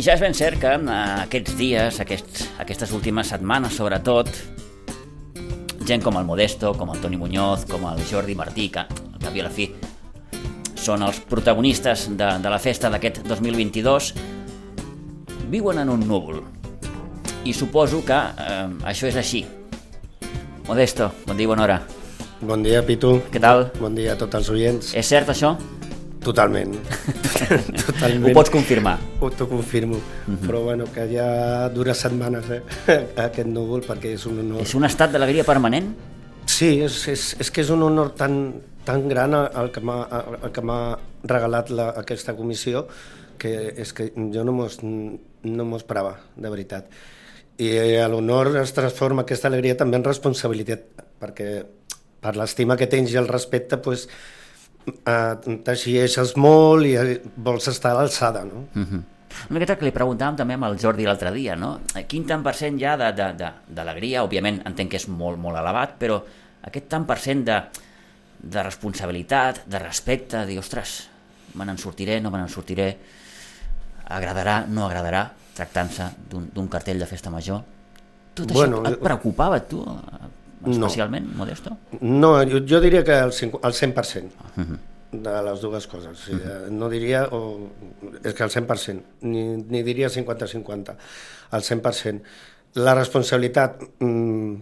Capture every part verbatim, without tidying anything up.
I ja és ben cert que aquests dies, aquests, aquestes últimes setmanes sobretot, gent com el Modesto, com el Toni Muñoz, com el Jordi Martí, que al cap i a la fi són els protagonistes de, de la festa d'aquest dos mil vint-i-dos, viuen en un núvol. I suposo que eh, això és així. Modesto, bon dia i bona hora. Bon dia, Pitu. Què tal? Bon dia a tots els oients. És cert això? Totalment. Totalment. Ho pots confirmar? Ho t'ho confirmo. Uh-huh. Però bueno, que ja dura setmanes eh, aquest núvol, perquè és un honor. És un estat d'alegria permanent? Sí, és, és, és que és un honor tan, tan gran el que m'ha, el que m'ha regalat la, aquesta comissió, que és que jo no m'ho no m'ho esperava, de veritat. I l'honor es transforma aquesta alegria també en responsabilitat, perquè per l'estima que tens i el respecte, pues, eh, t'exigeixes molt i vols estar a l'alçada, no? Uh-huh. Una miqueta que li preguntàvem també amb el Jordi l'altre dia, no? Quin tant per cent ja d'alegria, òbviament entenc que és molt, molt elevat, però aquest tant per cent de, de responsabilitat, de respecte, de dir, ostres, me n'en sortiré, no me n'en sortiré, agradarà, no agradarà, tractant-se d'un cartell de festa major. Tot bueno, això et preocupava, tu, especialment, no. Modesto? No, jo, jo diria que el, el cent per cent. Uh-huh. De les dues coses, o sigui, uh-huh. no diria, o, és que al cent per cent, ni, ni diria cinquanta cinquanta, al cent per cent. La responsabilitat, mmm,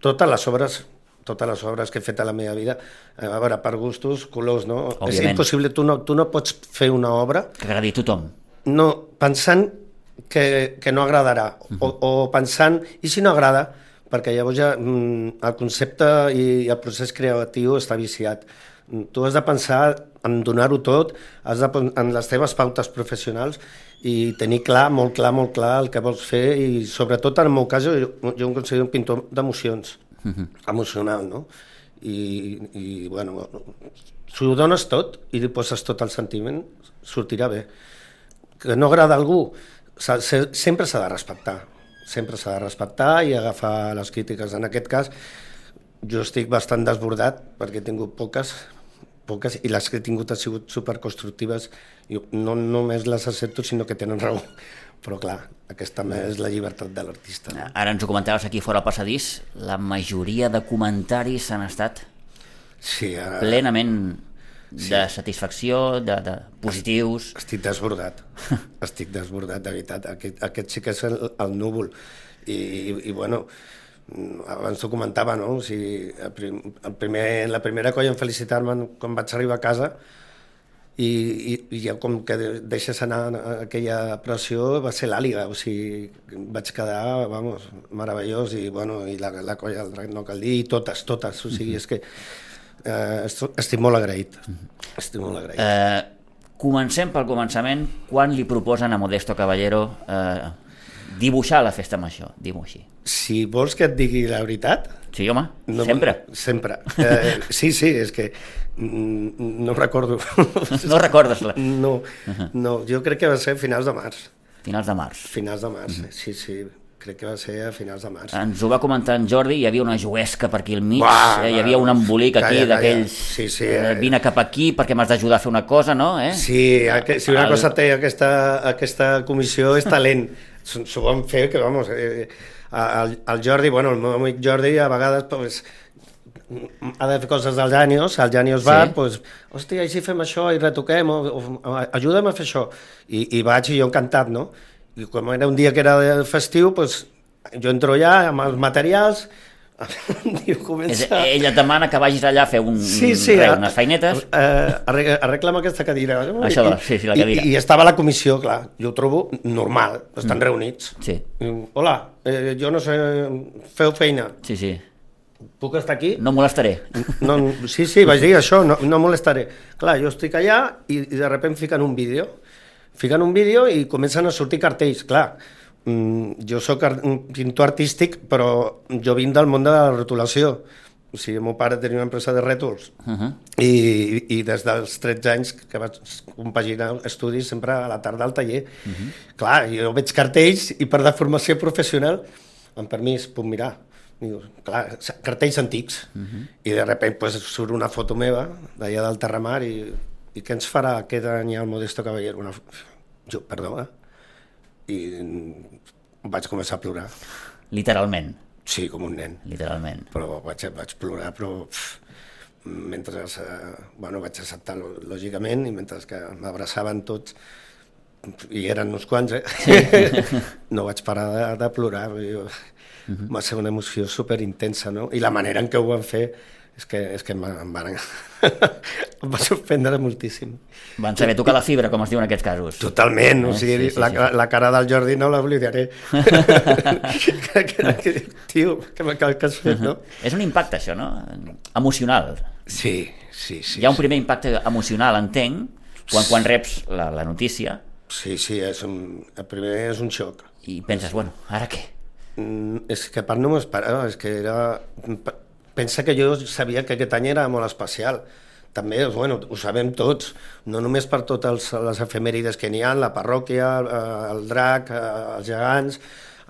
totes les obres, totes les obres que he fet a la meva vida, a veure, per gustos, colors, no? Òbviament. És impossible, tu no, tu no pots fer una obra... Que agradi a tothom. No, pensant que, que no agradarà, uh-huh. o, o pensant, i si no agrada, perquè llavors ja mmm, el concepte i el procés creatiu està viciat. Tu has de pensar en donar-ho tot, has de, en les teves pautes professionals i tenir clar, molt clar, molt clar el que vols fer i sobretot en el meu cas jo, jo em considero un pintor d'emocions, uh-huh. emocional, no? I, i bueno, si ho dones tot i li poses tot el sentiment, sortirà bé. Que no agrada a algú, sempre s'ha de respectar, sempre s'ha de respectar i agafar les crítiques. En aquest cas, jo estic bastant desbordat perquè he tingut poques, poques i les que he tingut han sigut superconstructives. Jo no només les accepto, sinó que tenen raó. Però clar, aquesta també és la llibertat de l'artista. No? Ara ens ho comentaves aquí fora al passadís, la majoria de comentaris han estat sí, ara... plenament sí. de satisfacció, de, de positius. Estic desbordat, estic desbordat, de veritat. Aquest, aquest sí que és el, el núvol. I, i, i bueno... abans t'ho comentava, no? O sigui, el prim, el primer, la primera colla en felicitar-me quan vaig arribar a casa i, i, i ja com que deixes anar aquella pressió va ser l'àliga, o sigui, vaig quedar, vamos, meravellós i, bueno, i la, la colla del drac no cal dir, i totes, totes, o sigui, és que eh, estic molt agraït, estic molt agraït. Eh, comencem pel començament, quan li proposen a Modesto Caballero eh, dibuixar la festa major, diu-m'ho així. Si vols que et digui la veritat... Sí, home, no, sempre. Sempre. Eh, sí, sí, és que no recordo. No recordes? La... No, uh-huh. no, jo crec que va ser a finals de març. Finals de març. Finals de març, uh-huh. sí, sí. Crec que va ser a finals de març. Ens ho va comentar en Jordi, hi havia una juguesca per aquí al mig, Uah, eh, hi havia un embolic aquí calla, d'aquells... Sí, sí, eh, vine cap aquí perquè m'has d'ajudar a fer una cosa, no? Eh? Sí, aqu- si una el... cosa té aquesta, aquesta comissió és talent. S'ho vam fer, que vamos, eh, el, el Jordi, bueno, el meu amic Jordi a vegades pues, ha de fer coses del Janios, al Janios Bar, sí. pues, hòstia, i si fem això i retoquem, o, o ajuda'm a fer això. I, i vaig i jo encantat, no? I com era un dia que era festiu, pues, jo entro allà amb els materials, i comença... Ella et demana que vagis allà a fer un, sí, sí, re, a, unes feinetes. Uh, arregla'm aquesta cadira. Això, I, sí, sí, la cadira. I, I estava a la comissió, clar, jo ho trobo normal, estan mm. reunits. Sí. I, hola, eh, jo no sé, feu feina. Sí, sí. Puc estar aquí? No molestaré. No, sí, sí, vaig dir això, no, no molestaré. Clar, jo estic allà i, i de sobte fiquen un vídeo. Fiquen un vídeo i comencen a sortir cartells, clar. Jo soc un pintor artístic, però jo vinc del món de la rotulació. O sigui, el meu pare tenia una empresa de rètols uh-huh. i, i des dels tretze anys que vaig compaginar estudis sempre a la tarda al taller. Uh-huh. Clar, jo veig cartells i per deformació professional, amb permís, puc mirar. Diu, clar, cartells antics. Uh-huh. I de sobte pues, surt una foto meva d'allà del Terramar i, i què ens farà aquest any el Modesto Caballero? Una... Jo, perdó, eh? i vaig començar a plorar. Literalment? Sí, com un nen. Literalment. Però vaig, vaig plorar, però pff, mentre... Eh, bueno, vaig acceptar lògicament, i mentre que m'abraçaven tots, i eren uns quants, eh? Sí. No vaig parar de, de plorar. Jo, uh-huh. Va ser una emoció superintensa, no? I la manera en què ho van fer és que, és que em van... em va sorprendre moltíssim. Van saber tocar la fibra, com es diu en aquests casos. Totalment, eh? O sigui, sí, sí, la, sí. la cara del Jordi no l'oblidaré. que, que, que, tio, que, que, que has fet, no? Uh-huh. És un impacte, això, no? Emocional. Sí, sí, sí. Hi ha un primer sí. impacte emocional, entenc, quan, quan reps la, la notícia. Sí, sí, és un, el primer és un xoc. I penses, bueno, ara què? Mm, és que a part no m'ho esperava, és que era... Pensa que jo sabia que aquest any era molt especial. També, bueno, ho sabem tots, no només per totes les efemèrides que n'hi ha, la parròquia, el drac, els gegants,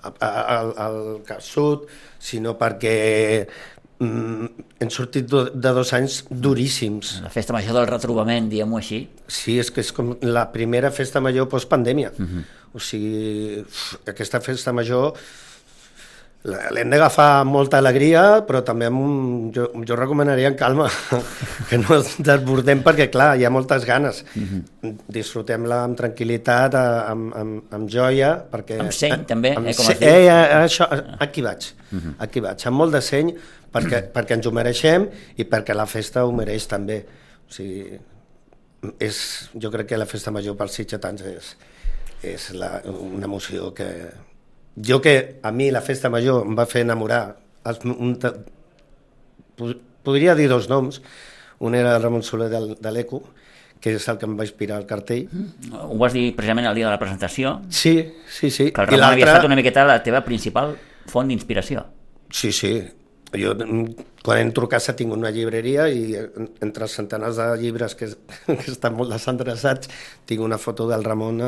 el, el Cap-Sud, sinó perquè mm, hem sortit de dos anys duríssims. La festa major del retrobament, diguem-ho així. Sí, és que és com la primera festa major postpandèmia. Uh-huh. O sigui, aquesta festa major l'hem d'agafar amb molta alegria, però també amb un, jo, jo recomanaria en calma, que no ens desbordem, perquè clar, hi ha moltes ganes. Uh-huh. Disfrutem-la amb tranquil·litat, amb, amb, amb joia, perquè... Amb seny, eh, també, amb, eh, com es diu. Eh, eh, això, aquí vaig, uh-huh. aquí vaig, amb molt de seny, perquè, uh-huh. perquè ens ho mereixem i perquè la festa ho mereix també. O sigui, és, jo crec que la festa major pels sitgetans és, és la, una emoció que... Jo que a mi la festa major em va fer enamorar, els, un, podria dir dos noms, un era el Ramon Soler de, de l'Eco, que és el que em va inspirar el cartell. Mm. Ho vas dir precisament el dia de la presentació? Sí, sí, sí. Que el Ramon havia estat una miqueta la teva principal font d'inspiració. Sí, sí. Jo, quan entro a casa, tinc una llibreria i entre els centenars de llibres que, que estan molt desendreçats, tinc una foto del Ramon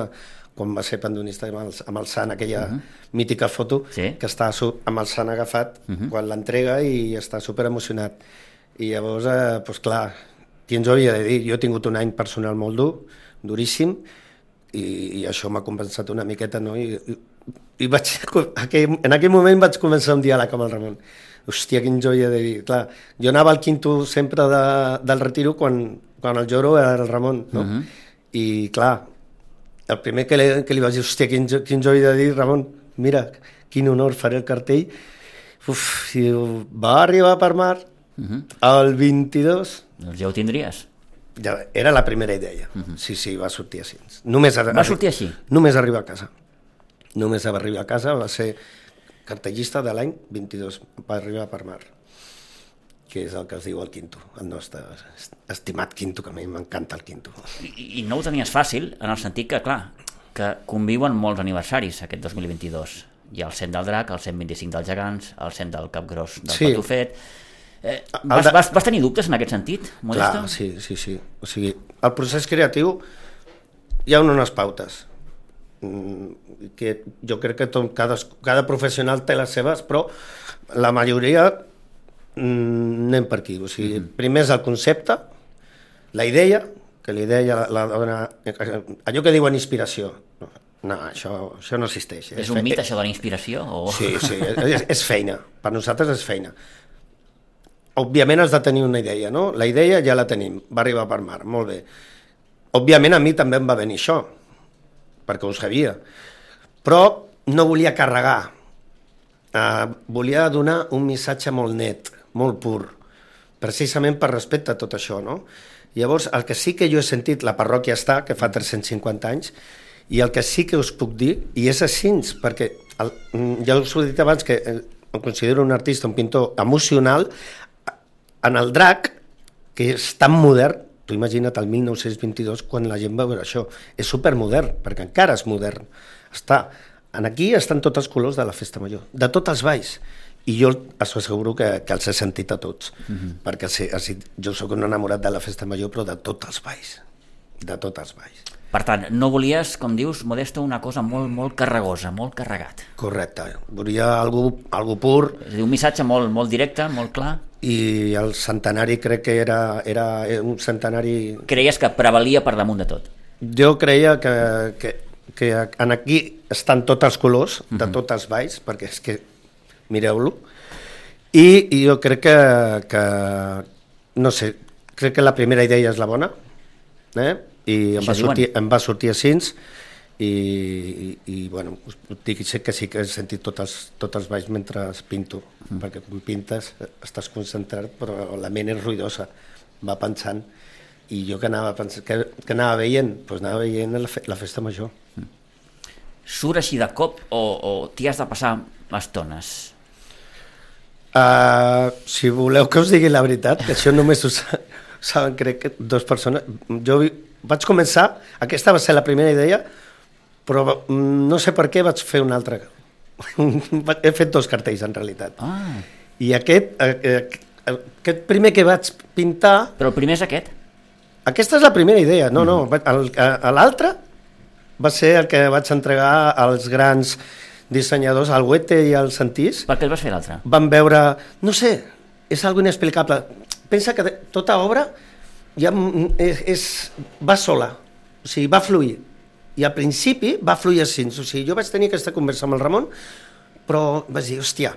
quan va ser pandonista amb el, amb el Sant, aquella uh-huh. mítica foto, sí. que està amb el Sant agafat uh-huh. quan l'entrega i està super emocionat. I llavors, eh, doncs clar, qui ens ho havia de dir? Jo he tingut un any personal molt dur, duríssim, i, i això m'ha compensat una miqueta, no? I, i, i vaig, aquell, en aquell moment vaig començar un diàleg amb el Ramon. Hòstia, qui ens ho havia de dir? Clar, jo anava al quinto sempre de, del retiro quan, quan el lloro era el Ramon, no? Uh-huh. I clar, el primer que li, que li vaig dir, hòstia, qui ens, qui ens ho havia de dir, Ramon? Mira, quin honor, faré el cartell. Uf, i va arribar per mar uh-huh. el vint-i-dos. Doncs ja ho tindries. Ja, era la primera idea. Uh-huh. Sí, sí, va sortir així. Només va sortir així? Només arribar a casa. Només va arribar a casa, va ser cartellista de l'any vint-i-dos, va arribar per mar, que és el que es diu el quinto, el nostre estimat quinto, que a mi m'encanta el quinto. I, I no ho tenies fàcil, en el sentit que, clar, que conviuen molts aniversaris aquest dos mil vint-i-dos. Hi ha el cent del Drac, el cent vint-i-cinc dels Gegants, el cent del Capgròs del sí. Patufet. Eh, vas, de... vas, vas tenir dubtes en aquest sentit, Modesto? Clar, sí, sí, sí. O sigui, el procés creatiu hi ha unes pautes, que jo crec que tot, cada, cada professional té les seves, però la majoria anem per aquí, o sigui, uh-huh. primer és el concepte, la idea, que la idea la, la dona, allò que diuen inspiració, no, no això, això no existeix. És, és un mite, això de la inspiració? O... Sí, sí, és, és feina, per nosaltres és feina. Òbviament has de tenir una idea, no? La idea ja la tenim, va arribar per mar, molt bé. Òbviament a mi també em va venir això, perquè ho sabia, però no volia carregar, uh, volia donar un missatge molt net, molt pur, precisament per respecte a tot això, no? Llavors, el que sí que jo he sentit, la parròquia està, que fa tres-cents cinquanta anys, i el que sí que us puc dir, i és així, perquè el, ja us ho he dit abans, que em considero un artista, un pintor emocional, en el drac, que és tan modern, tu imagina't el mil nou-cents vint-i-dos, quan la gent va veure això, és supermodern, perquè encara és modern. Està, en aquí estan tots els colors de la festa major, de tots els balls, i jo us asseguro que, que els he sentit a tots, uh-huh. perquè sí, sí, jo sóc un enamorat de la festa major, però de tots els balls, de tots els balls. Per tant, no volies, com dius, Modesto, una cosa molt, molt carregosa, molt carregat. Correcte, volia algú, algú pur. És a dir, un missatge molt, molt directe, molt clar. I el centenari crec que era, era un centenari... Creies que prevalia per damunt de tot? Jo creia que, que que en aquí estan tots els colors, de tots els balls, perquè és que, mireu-lo, i, i jo crec que, que, no sé, crec que la primera idea és la bona, eh? I em va, sortir, em va sortir així, i, i, i bueno, us dic que sí que he sentit tots els, tots els balls mentre pinto, mm. perquè quan pintes estàs concentrat, però la ment és ruïdosa, va pensant, i jo que anava, pensant, que, que anava veient, doncs anava veient la, fe, la festa major. Mm. Surt així de cop o, o t'hi has de passar estones? Uh, si voleu que us digui la veritat, que això només ho saben, crec que dues persones, jo vaig començar, aquesta va ser la primera idea, però no sé per què vaig fer una altra. He fet dos cartells en realitat. Ah. I aquest, aquest primer que vaig pintar... Però el primer és aquest? Aquesta és la primera idea, no, no. L'altre va ser el que vaig entregar als grans dissenyadors, al Huete i al Santís. Per què el vas fer l'altre? Van veure, no sé, és algo inexplicable. Pensa que tota obra ja és, és, va sola, o sigui, va fluir. I al principi va fluir així, o sigui, jo vaig tenir aquesta conversa amb el Ramon, però vaig dir, hòstia,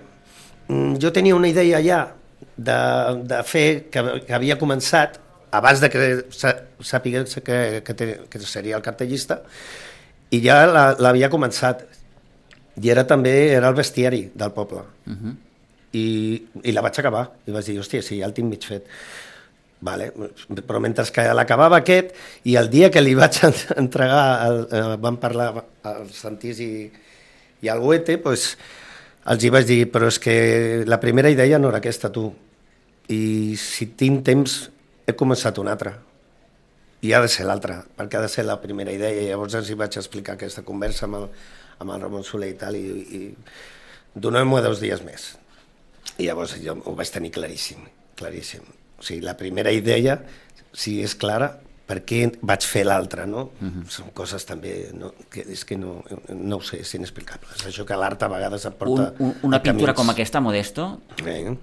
jo tenia una idea ja de, de fer, que, que havia començat, abans de que sàpigués que, que, que seria el cartellista, i ja l'havia la, començat. I era també era el bestiari del poble. Uh-huh. I, I la vaig acabar. I vaig dir, hòstia, sí, ja el tinc mig fet. Vale. Però mentre que l'acabava aquest, i el dia que li vaig entregar, el, eh, van parlar al Santís i, i al Huete, pues, els hi vaig dir, però és que la primera idea no era aquesta, tu. I si tinc temps, he començat una altra. I ha de ser l'altra, perquè ha de ser la primera idea. I llavors els hi vaig explicar aquesta conversa amb el, amb el Ramon Soler i tal, i, i donem-ho dos dies més. I llavors jo ho vaig tenir claríssim, claríssim. O sigui, la primera idea, si és clara, per què vaig fer l'altra, no? Uh-huh. Són coses també, no, que és que no, no ho sé, és inexplicable. És això que l'art a vegades et porta un, un, una pintura camins. Com aquesta, Modesto, eh?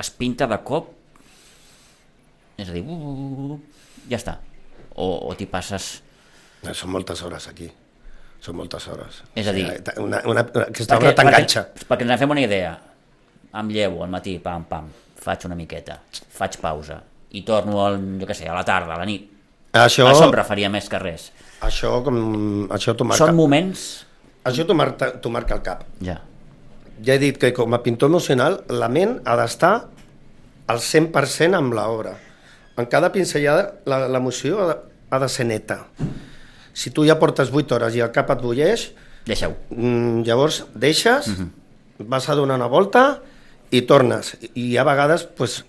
es pinta de cop, és a dir, uh, uh, uh, ja està. O, o t'hi passes... No, són moltes hores aquí. Són moltes hores. És a dir... Una, una, aquesta obra t'enganxa. Perquè, perquè ens en fem una idea. Em llevo al matí, pam, pam, faig una miqueta, faig pausa, i torno, al, jo què sé, a la tarda, a la nit. Això, això em referia més que res. Això, com, això t'ho marca... Són moments... Això t'ho marca, t'ho marca el cap. Ja. Ja he dit que com a pintor emocional, la ment ha d'estar al cent per cent amb l'obra. En cada pinzellada l'emoció ha, ha de ser neta. Si tu ja portes vuit hores i el cap et bulleix, deixeu. Llavors deixes, uh-huh. vas a donar una volta i tornes. I hi ha vegades pues,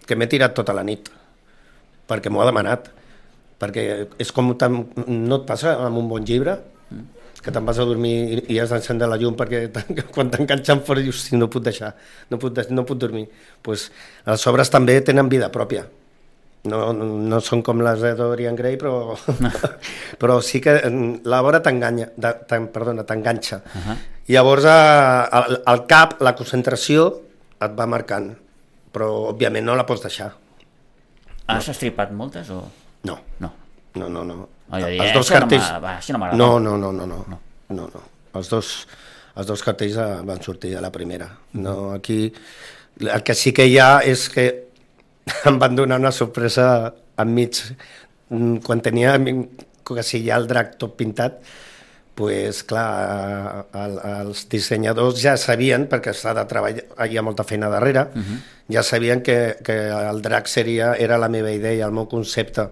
que m'he tirat tota la nit, perquè m'ho ha demanat. Perquè és com no et passa amb un bon llibre, que te'n vas a dormir i has d'encendre la llum perquè quan t'enganxen fora dius, sí, no puc deixar, no puc, de, no puc dormir. Pues, les obres també tenen vida pròpia. No, no, no són com les de Dorian Gray, però, però sí que l'obra t'enganya, perdona, t'enganxa. Uh-huh. Llavors el, el cap, la concentració et va marcant, però òbviament no la pots deixar. Has no. estripat moltes o...? No. No. No, no, no. Oh, dir, els dos cartells... No, va, no m'agrada. No, no, no, no, no. no. no, no. Els, dos, els dos cartells van sortir a la primera. No, aquí el que sí que hi ha és que em van donar una sorpresa enmig. Quan tenia que si hi ha el drac tot pintat, pues, clar, el, els dissenyadors ja sabien, perquè s'ha de treballar, hi ha molta feina darrere, uh-huh. ja sabien que, que el drac seria, era la meva idea, el meu concepte.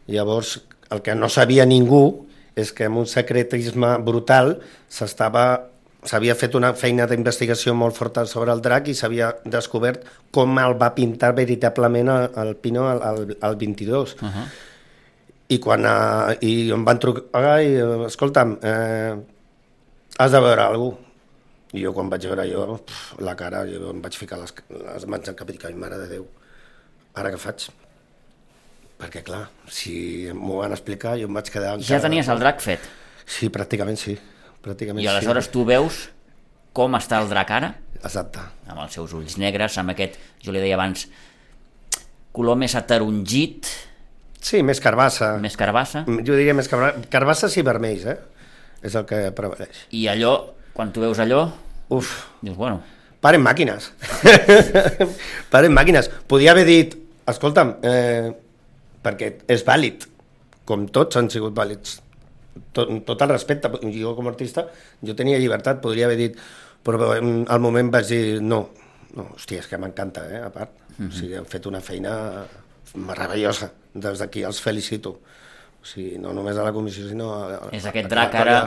Llavors, el que no sabia ningú és que amb un secretisme brutal s'estava... s'havia fet una feina d'investigació molt forta sobre el drac i s'havia descobert com el va pintar veritablement el, el Pino al, al, al vint-i-dos. Uh-huh. I quan uh, i em van trucar i, escolta'm, eh, has de veure alguna cosa. I jo quan vaig veure jo, pf, la cara, jo em vaig ficar les, les mans al cap i dic, ai, mare de Déu, ara què faig? Perquè clar, si m'ho van explicar jo em vaig quedar... Ja tenies el drac fet? Sí, pràcticament sí. Pràcticament I aleshores sí. tu veus com està el drac ara? Exacte. Amb els seus ulls negres, amb aquest, jo li deia abans, color més ataronjit, Sí, més carbassa. Més carbassa. Jo diria més carbassa. Carbasses i vermells, eh? És el que prevaleix. I allò, quan tu veus allò, Uf. dius, bueno... Paren màquines. Paren màquines. Podia haver dit, escolta'm, eh, perquè és vàlid, com tots han sigut vàlids. Tot, tot el respecte, jo com a artista, jo tenia llibertat, podria haver dit, però al moment vaig dir, no, no, hòstia, és que m'encanta, eh, a part. Mm-hmm. O sigui, han fet una feina meravellosa, des d'aquí els felicito. O sigui, no només a la comissió, sinó... A, a, és aquest drac ara...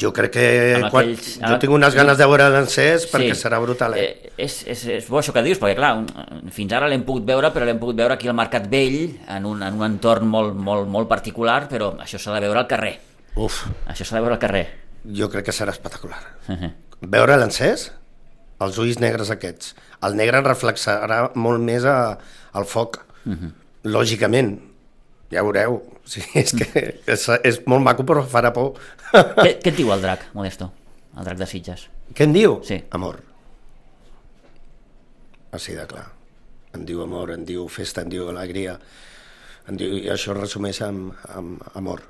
Jo crec que Amb quan, aquells- jo tinc unes ganes de veure l'encès perquè Sí. serà brutal. Eh? Eh, és, és, és bo això que dius, perquè clar, un- fins ara l'hem pogut veure, però l'hem pogut veure aquí al Mercat Vell, en un, en un entorn molt, molt, molt particular, però això s'ha de veure al carrer. Uf, Això s'ha de veure al carrer. jo crec que serà espectacular. Uh-huh. Veure l'encès, els ulls negres aquests. El negre reflexarà molt més a, al foc, Uh-huh. lògicament. Ja veureu. O sigui, és que és, és molt maco, però farà por. què, què et diu el drac, Modesto? El drac de Sitges. Què em diu? Sí. Amor. Així de clar. Em diu amor, em diu festa, em diu alegria. Em diu, I això es resumeix amb, amb amor.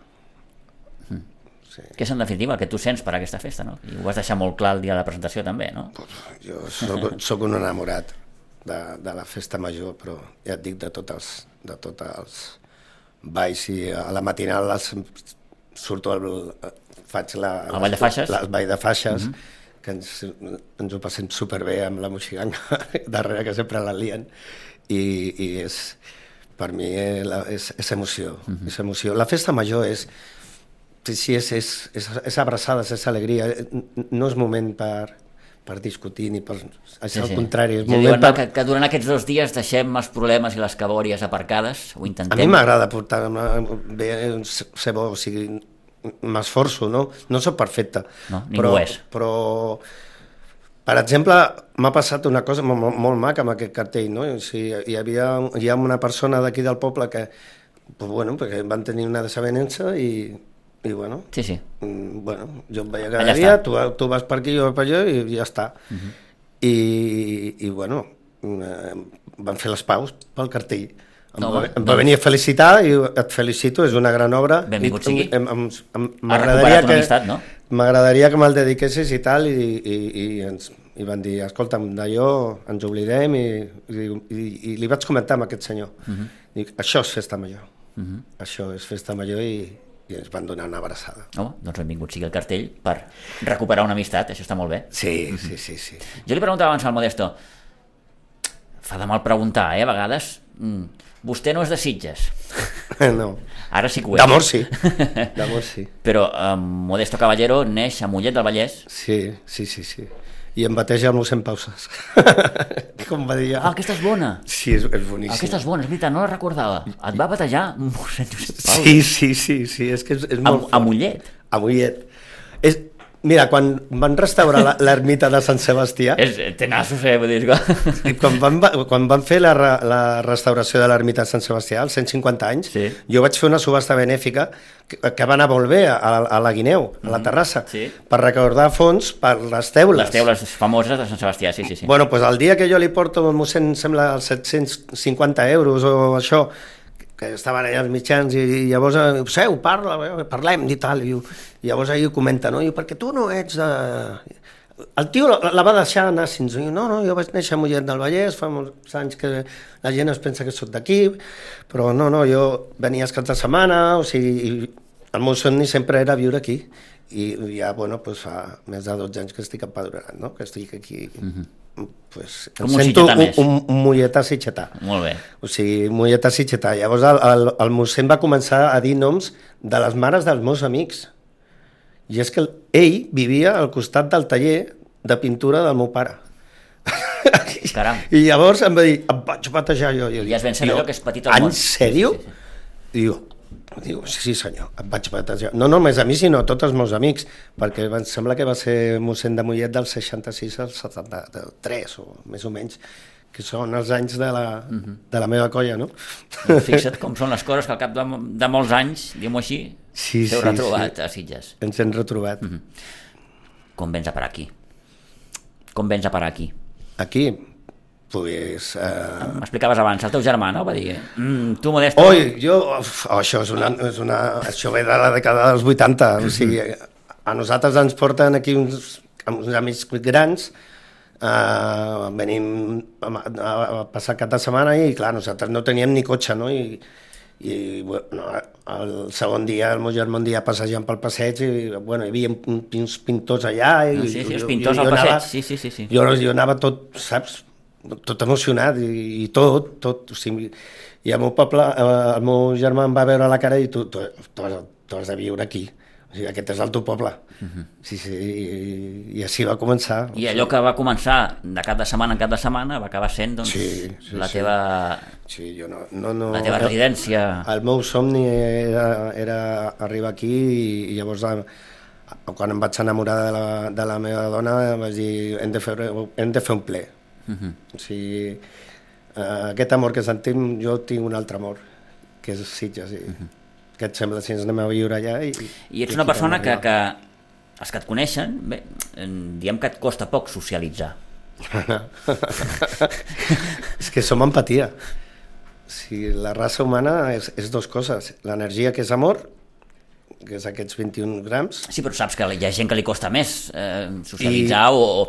Sí. Que és en definitiva el que tu sents per aquesta festa, no? I ho vas deixar molt clar el dia de la presentació també, no? Jo soc, soc un enamorat de, de la festa major, però ja et dic de tots els, de tots els balls, i a la matinal les, surto al, faig la, El ball de faixes? les ball de faixes, Mhm. que ens, ens ho passem superbé amb la moxiganga darrere, que sempre la lien, i, i és, per mi eh, la, és, és emoció, Mhm. és emoció. La festa major és, sí, és, és, és, és abraçades, és alegria, no és moment per, per discutir ni per... És al contrari, és Ja moment diuen, no, per... que, que durant aquests dos dies deixem els problemes i les cabòries aparcades, ho intentem. A mi m'agrada portar bé, ser bo, o sigui, m'esforço, no? No soc perfecte. No, ningú però, és. Però, per exemple, m'ha passat una cosa molt, molt maca amb aquest cartell, no? O sigui, hi havia hi ha una persona d'aquí del poble que, pues, bueno, perquè van tenir una desavenença i, i bueno, Sí, sí. mm, bueno, jo em veia cada Allà dia, està. tu, tu vas per aquí, jo per allà i ja està. Uh -huh. I, i bueno, eh, van fer les paus pel cartell. Em, No, va, home, em va doncs- venir a felicitar i et felicito, és una gran obra. Benvingut I, sigui. em, em, em, Ha m'agradaria recuperat una que, amistat, no? m'agradaria que me'l dediquessis i tal, i, i, i, ens, i van dir, escolta'm, d'allò ens oblidem, i, i, i, i li vaig comentar amb aquest senyor. Uh -huh. Dic, això és festa major, Uh -huh. això és festa major, i, i ens van donar una abraçada. Home, doncs benvingut sigui el cartell per recuperar una amistat, això està molt bé. Sí, sí, sí, sí. Jo li preguntava abans al Modesto, fa de mal preguntar, eh, a vegades, mm, vostè no és de Sitges, No. ara sí que ho és. D'amor sí, d'amor sí. Però eh, Modesto Caballero neix a Mollet del Vallès. Sí, sí, sí, sí. I em bateja el mossèn Pauses. Com va dir ja. Ah, aquesta és bona. Sí, és, és boníssim. Aquesta és bona, és veritat, no la recordava. Et va batejar mossèn Josep Pau. Sí, sí, sí, sí, és que és, és A, molt a Mollet. A Mollet. És, mira, quan van restaurar la- l'ermita de Sant Sebastià, És, té nassos, eh, vull dir que... i quan van, va- quan van fer la, re- la restauració de l'ermita de Sant Sebastià, als cent cinquanta anys, Sí. jo vaig fer una subhasta benèfica que, que va anar molt bé a, a la Guineu, a la Terrassa, Sí. per recordar fons per les teules. Les teules famoses de Sant Sebastià, sí, sí, sí. Bueno, doncs el dia que jo li porto al mossèn, em sembla, els set-cents cinquanta euros o això, que estaven allà els mitjans, i, i llavors, eh, seu, parla, parlem i tal, i, i llavors ahir ho comenta, no? I perquè tu no ets de... El tio la, la va deixar anar fins... I, no, no, jo vaig néixer a Mollet del Vallès, fa molts anys que la gent es pensa que soc d'aquí, però no, no, jo venia els caps de setmana, o sigui, i el meu somni sempre era viure aquí, i ja, bueno, pues fa més de dotze anys que estic empadronat, no? Que estic aquí... Uh-huh. Pues, Com em un sento sitgetà un, més. un, un molletà sitgetà. Molt bé. O sigui, molletà sitgetà. Llavors el, el, el mossèn va començar a dir noms de les mares dels meus amics. I és que el- ell vivia al costat del taller de pintura del meu pare. Caram. I llavors em va dir, em vaig batejar jo. jo I ja es ben saber allò que és petit al en món. sèrio? Sí, sí, sí. Diu, diu, sí, sí senyor, em vaig batejar. No només a mi, sinó a tots els meus amics, perquè em sembla que va ser mossèn de Mollet del seixanta-sis al setanta-tres, o més o menys, que són els anys de la, Mhm. de la meva colla, no? Doncs fixa't com són les coses que al cap de, de molts anys, diguem-ho així, Sí, s'heu sí, retrobat sí. a Sitges. Ens hem retrobat. Mhm. Com vens a parar aquí? Com vens a parar aquí? Aquí, pues... Eh... M'explicaves abans, el teu germà, no? Va dir, mm, tu, Modesto... Oi, jo... Uf, oh, això, és una, és una, això ve de la dècada dels vuitanta, o sigui, a nosaltres ens porten aquí uns, uns amics grans, eh, venim a, a, a passar cap de setmana i, clar, nosaltres no teníem ni cotxe, no? I, i bueno, el segon dia, el meu germà un dia passejant pel passeig i, bueno, hi havia uns pintors allà i... Ah, sí, sí, els jo, pintors jo, al jo passeig, anava, sí, sí, sí, sí. Jo, jo anava tot, saps, tot emocionat i, i tot, tot, o sigui, i el meu poble, el meu germà em va veure la cara i tu, tu, tu, has, tu has de viure aquí, o sigui, aquest és el teu poble. Uh -huh. Sí, sí, i, i així va començar. I allò que va començar de cap de setmana en cap de setmana va acabar sent, doncs, sí, sí, la sí. teva... Sí, jo no, no, no, la teva residència... El, el meu somni era, era arribar aquí i, i llavors quan em vaig enamorar de la, de la meva dona vaig dir hem de fer, hem de fer un ple. Uh-huh. O sigui, uh, aquest amor que sentim, jo tinc un altre amor, que és Sitges. I, uh-huh. Què et sembla si ens anem a viure allà? I, I ets una persona que, que els que et coneixen, bé, diem que et costa poc socialitzar. És que som empatia. O sigui, la raça humana és, és dues coses, l'energia que és amor, que és aquests vint-i-un grams. Sí, però saps que hi ha gent que li costa més eh, socialitzar I... o...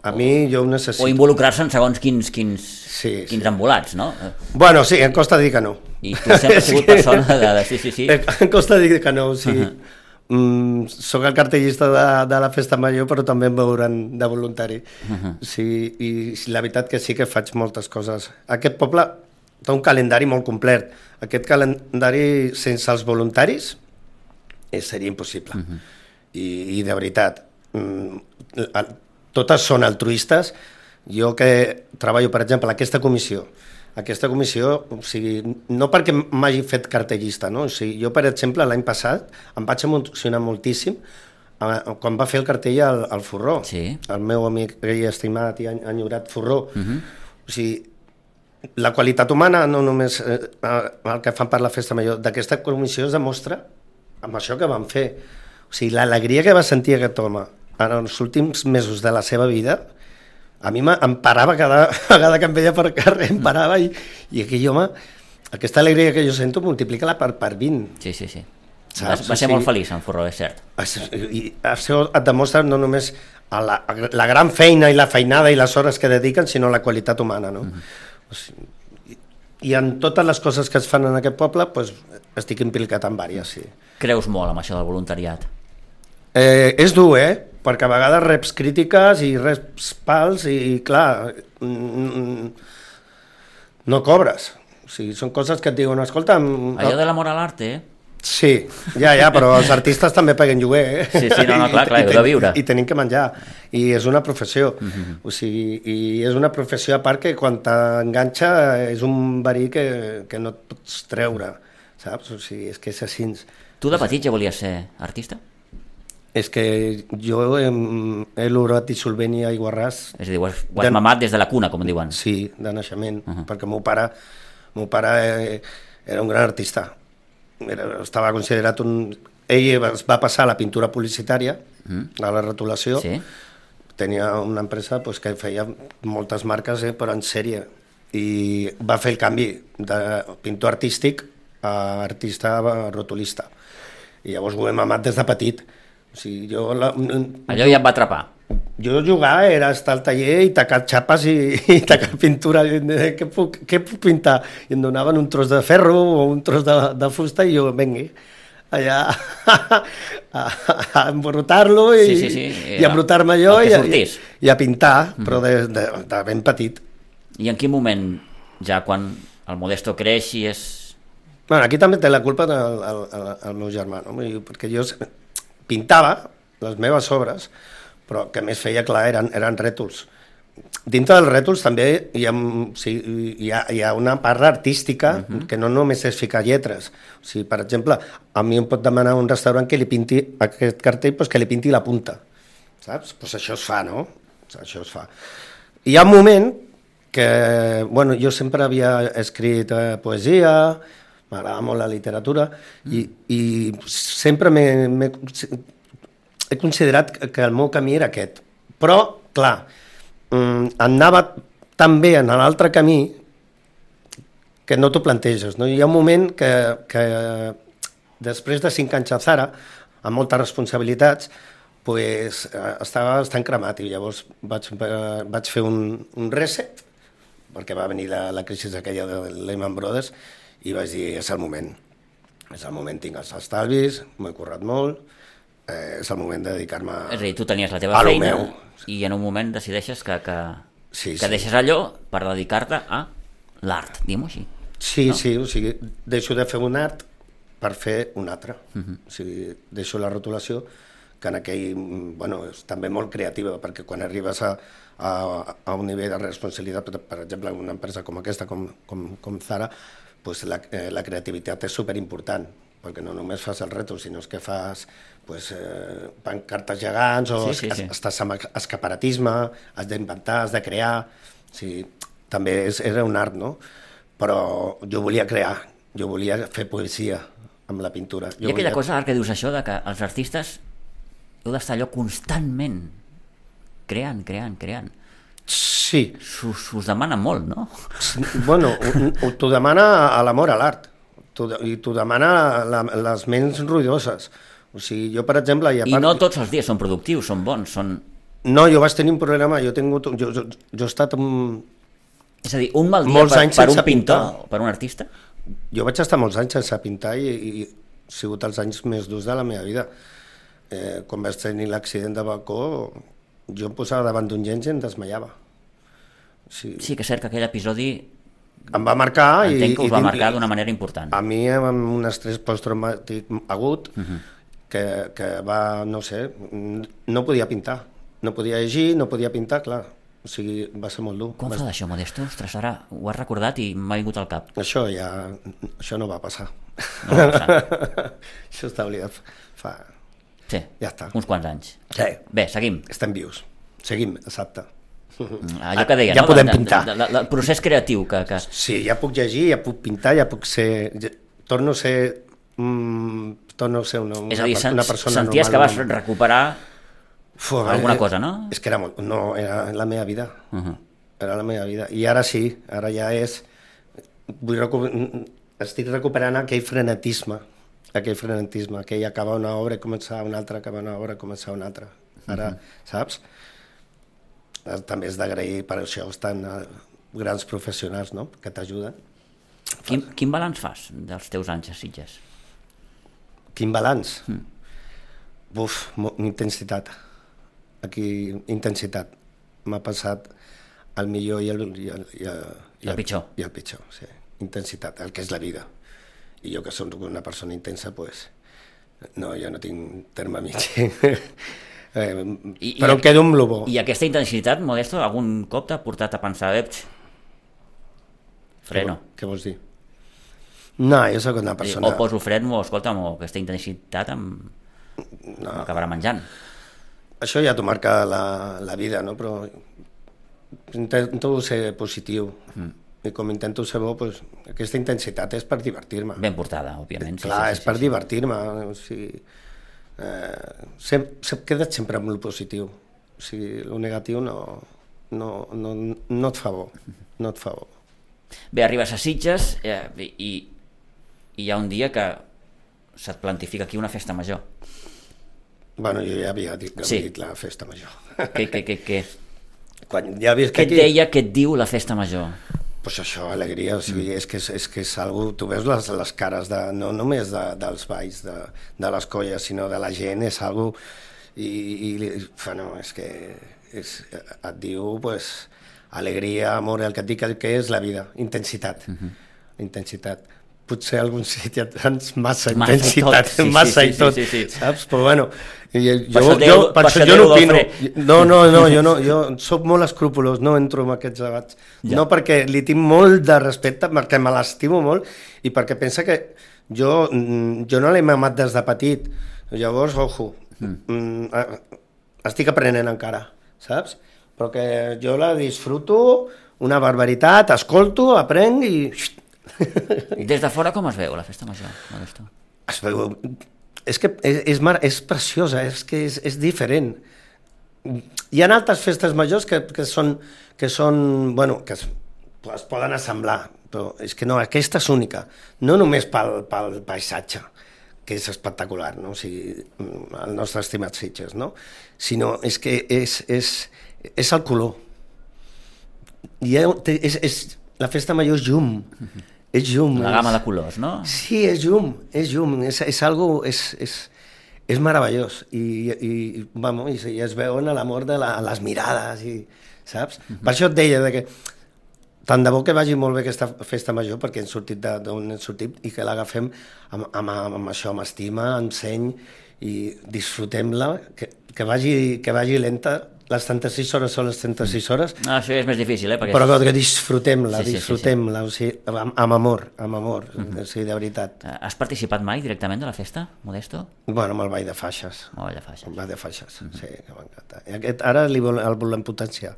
A mi jo ho necessito. O involucrar-se en segons quins, quins, sí, quins sí. embolats, no? Bueno, sí, em costa dir que no. I tu sempre has sigut persona de... de sí, sí, sí. Em costa dir que no, sí. Uh-huh. Mm, soc el cartellista de, de la Festa Major, però també em veuran de voluntari. Uh-huh. Sí, i la veritat que sí que faig moltes coses. Aquest poble té un calendari molt complet. Aquest calendari sense els voluntaris seria impossible. Uh-huh. I, I de veritat... Mm, totes són altruistes. Jo que treballo, per exemple, aquesta comissió, aquesta comissió, o sigui, no perquè m'hagi fet cartellista, no? O sigui, jo, per exemple, l'any passat em vaig emocionar moltíssim quan va fer el cartell al, al Forró, sí. El meu amic i estimat i enyorat Forró. Uh-huh. O sigui, la qualitat humana, no només eh, el que fan per la Festa Major, d'aquesta comissió es demostra amb això que van fer. O sigui, l'alegria que va sentir aquest home en els últims mesos de la seva vida, a mi em parava cada vegada que em veia per carrer, em parava i, i aquell home, aquesta alegria que jo sento, multiplica-la per, per vint. Sí, sí, sí. Va, va ser o sigui, molt feliç en Forró, és cert. I això et demostra no només la, la gran feina i la feinada i les hores que dediquen, sinó la qualitat humana, no? Uh-huh. O sigui, i en totes les coses que es fan en aquest poble, pues, estic implicat en diverses, sí. Creus molt amb això del voluntariat? Eh, és dur, eh? Perquè a vegades reps crítiques i reps pals i, i clar, no cobres. O sigui, són coses que et diuen, escolta... Allò de l'amor a l'art, eh? Sí, ja, ja, però els artistes també paguen lloguer, eh? Sí, sí, no, no, clar, clar, heu de viure. I tenim que menjar, i és una professió. Uh-huh. O sigui, i és una professió a part que quan t'enganxa és un verí que, que no et pots treure, saps? O sigui, és que és així. Tu de petit ja volies ser artista? És que jo he, he l'orat dissolvent i aiguarràs... És a dir, ho has, ho has de... mamat des de la cuna, com diuen. Sí, de naixement, uh-huh. Perquè el meu pare, el meu pare eh, era un gran artista. Era, estava considerat un... Ell es va passar a la pintura publicitària, uh-huh. A la retolació. Sí. Tenia una empresa pues, que feia moltes marques, eh, però en sèrie. I va fer el canvi de pintor artístic a artista rotulista. I llavors ho he mamat des de petit. O sigui, jo la... Allò ja em va atrapar. Jo jugar era estar al taller i tacar xapes i, i tacar pintura. Què puc, què puc pintar? I em donaven un tros de ferro o un tros de, de fusta i jo, vengui, allà a, a, a embrutar-lo i, sí, sí, sí. i a embrutar-me jo i, i, i a pintar, mm-hmm. Però de, de, de ben petit. I en quin moment, ja quan el Modesto creix i és... Bueno, aquí també té la culpa el, el, el, el meu germà, no? Perquè jo pintava les meves obres, però el que més feia, clar, eren, eren rètols. Dintre dels rètols també hi ha, o sigui, hi ha, hi ha una part artística, uh-huh. Que no només és ficar lletres. O sigui, per exemple, a mi em pot demanar un restaurant que li pinti aquest cartell, doncs que li pinti la punta, saps? Doncs això es fa, no? Això es fa. Hi ha un moment que, bueno, jo sempre havia escrit eh, poesia, m'agrada molt la literatura, mm. i, i sempre m'he, m'he, he considerat que el meu camí era aquest. Però, clar, anava tan bé en l'altre camí que no t'ho planteges. No? Hi ha un moment que, que després de cinc anys a Zara, amb moltes responsabilitats, pues, estava bastant cremat i llavors vaig, vaig fer un, un reset, perquè va venir la, la crisi aquella de Lehman Brothers, i vaig dir, és el moment. És el moment, tinc els estalvis, m'ho he currat molt, eh, és el moment de dedicar-me a... És a dir, tu tenies la teva feina meu. I en un moment decideixes que, que, sí, que sí. deixes allò per dedicar-te a l'art, diguem-ho així. Sí, no? sí, o sigui, deixo de fer un art per fer un altre. Uh-huh. O sigui, deixo la rotulació, que en aquell, bueno, és també molt creativa, perquè quan arribes a, a, a un nivell de responsabilitat, per, per exemple, una empresa com aquesta, com, com, com Zara, pues la, eh, la creativitat és superimportant, perquè no només fas el reto, sinó que fas pues, eh, pancartes gegants, o sí, sí, sí. estàs amb escaparatisme, has d'inventar, has de crear, o sigui, també és, era un art, no? Però jo volia crear, jo volia fer poesia amb la pintura. Jo I aquella volia... cosa, ara que dius això, de que els artistes heu d'estar allò constantment creant, creant, creant. Sí. Us demana molt, no? Bueno, t'ho demana a l'amor a l'art, i t'ho demana la, les ments ruïdoses. O sigui, jo, per exemple... I, I part... no tots els dies són productius, són bons, són... No, jo vaig tenir un problema, jo he tingut... Jo, jo, jo he estat... Un... És a dir, un mal dia per, per un pintor, pintar. Per un artista? Jo vaig estar molts anys sense pintar i, i ha sigut els anys més durs de la meva vida. Eh, quan vaig tenir l'accident de balcó, jo em posava davant d'un llenç i em desmaiava. Sí, sí que és cert que aquell episodi... Em va marcar... Entenc que us i, va marcar d'una manera important. A mi, amb un estrès posttraumàtic agut, uh-huh. que, que va, no sé, no podia pintar. No podia llegir, no podia pintar, clar. O sigui, va ser molt dur. Com fa d'això, Modesto? Ostres, ara ho has recordat i m'ha vingut al cap. Això ja... Això no va passar. No va passar. Això està oblidat fa... Sí, ja està. Uns quants anys. Sí. Bé, seguim. Estem vius. Seguim, exacte. Allò que deia, ja no? podem de, pintar. De, de, de, el procés creatiu que, que... Sí, ja puc llegir, ja puc pintar, ja puc ser... Ja... Torno a ser... Mm, torno a ser una, una, És a dir, una persona senties normal. Que vas recuperar Uf, alguna eh, cosa, no? És que era molt... No, era la meva vida. Uh-huh. Era la meva vida. I ara sí, ara ja és... Vull recu... Estic recuperant aquell frenetisme, aquell frenetisme, aquell acabar una obra i començar una altra, acabar una obra i començar una altra. Ara, uh-huh. saps? També és d'agrair per això estan grans professionals, no?, que t'ajuden. Quin, quin balanç fas dels teus anys a Sitges? Quin balanç? Mm. Buf, intensitat. Aquí, intensitat. M'ha passat el millor i el, i el, i el, i el pitjor. I el pitjor, sí. Intensitat, el que és la vida. I jo que soc una persona intensa, pues, no, jo no tinc terme mig. Eh, I, però em quedo amb lo bo. I aquesta intensitat, Modesto, algun cop t'ha portat a pensar, eps, freno. Què, què vols dir? No, jo soc una persona... O poso freno, o escolta'm, o aquesta intensitat em... no. m'acabarà menjant. Això ja t'ho marca la, la vida, no? Però intento ser positiu. Mm. I com intento ser bo, pues, aquesta intensitat és per divertir-me. Ben portada, òbviament. Sí, clar, sí, sí, és sí, per sí. divertir-me. O sigui... Eh, sem, sem, queda't sempre amb el positiu, o sigui, el negatiu no, no, no, no et fa bo, no et fa bo. Bé, arribes a Sitges eh, i, i hi ha un dia que se't plantifica aquí una festa major. Bueno, jo ja havia dit, sí. dit la festa major. Què, què, què, què? Quan ja què et aquí... deia, què et diu la festa major? Pues això, alegria, o sigui, mm. és, que és, és que és algo, tu veus les, les cares, de, no només de, dels balls, de, de les colles, sinó de la gent, és algo, i, i bueno, és que és, et diu, pues, alegria, amor, el que et dic que és la vida, intensitat, mm-hmm. intensitat. Potser algun sitio tens massa, massa intensitat, tot, sí, massa sí, i tot, sí, sí, sí. saps? Però bueno, jo, jo, jo, per això jo no opino. No, no, no, jo no, jo soc molt escrupolós, no entro en aquests debats. Ja. No perquè li tinc molt de respecte, perquè me l'estimo molt i perquè pensa que jo, jo no l'he mamat des de petit. Llavors, ojo, mm. estic aprenent encara, saps? Però que jo la disfruto, una barbaritat, escolto, aprenc i... Des de fora com es veu la festa major, Modesto? Es veu... És que és, és, mar... és preciosa, és que és, és diferent. Hi ha altres festes majors que, que són, que són, bueno, que es, es poden assemblar, però és que no, aquesta és única, no només pel, pel paisatge, que és espectacular, no? O sigui, el nostre estimat Sitges, no? Sinó és que és, és, és el color. I és, és, la festa major és llum, és llum. La gamma de colors, no? Sí, és llum, és llum, és, és algo, és, és, és meravellós, i, i, vamos, i, i es veuen l'amor de la, les mirades, i, saps? Uh-huh. Per això et deia de que tant de bo que vagi molt bé aquesta festa major, perquè hem sortit d'on hem sortit i que l'agafem amb, amb, amb això, amb estima, amb seny, i disfrutem-la, que, que, vagi, que vagi lenta. Les trenta-sis hores són les trenta-sis hores. Ah, això és més difícil, eh? Perquè... Però que disfrutem-la, sí, sí, disfrutem-la, sí, sí. O sigui, amb, amb amor, amb amor, uh-huh. O sigui, de veritat. Has participat mai directament de la festa, Modesto? Bueno, amb el ball de faixes. El ball de faixes. El ball de faixes, uh-huh. Sí, que m'encanta. I aquest, ara li vol, el volem potenciar,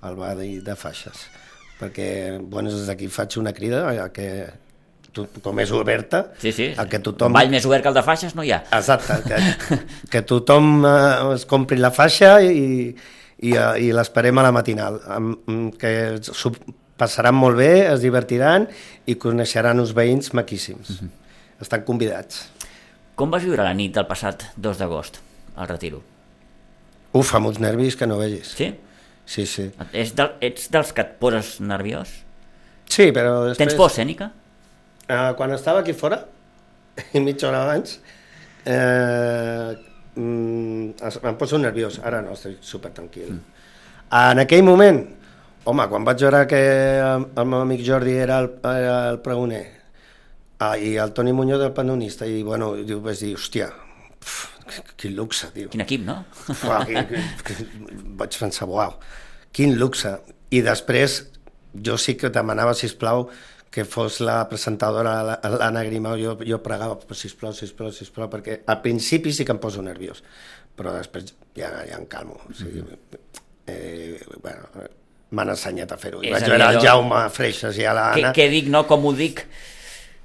el ball de faixes, perquè, bueno, des d'aquí faig una crida a que, com és oberta, sí, sí. A que tothom... Un ball més obert que el de faixes no hi ha. Exacte, que, que tothom eh, es compri la faixa i, i, i l'esperem a la matinal, que s'ho passaran molt bé, es divertiran i coneixeran uns veïns maquíssims. Uh-huh. Estan convidats. Com vas viure la nit del passat dos d'agost, al Retiro? Uf, amb uns nervis que no vegis. Sí? Sí, sí. Ets, del, ets dels que et poses nerviós? Sí, però després... Tens por escènica? Uh, quan estava aquí fora, mitja hora abans, eh, mm, em poso nerviós. Ara no, estic super tranquil. Mm. En aquell moment, home, quan vaig veure que el, el meu amic Jordi era el, era el pregoner, ah, i el Toni Muñoz el panonista, i bueno, diu, vaig dir, hòstia, pf, quin luxe, tio. Quin equip, no? Uau, que, que, que, vaig pensar, uau, quin luxe. I després, jo sí que demanava, sisplau, que fos la presentadora, l'Anna Grimau, jo, jo pregava, sisplau, sisplau, sisplau, perquè al principi sí que em poso nerviós, però després ja, ja em calmo. O sigui, eh, bueno, m'han ensenyat a fer-ho. I vaig veure el Jaume Freixas i a l'Anna... Què dic, no? Com ho dic?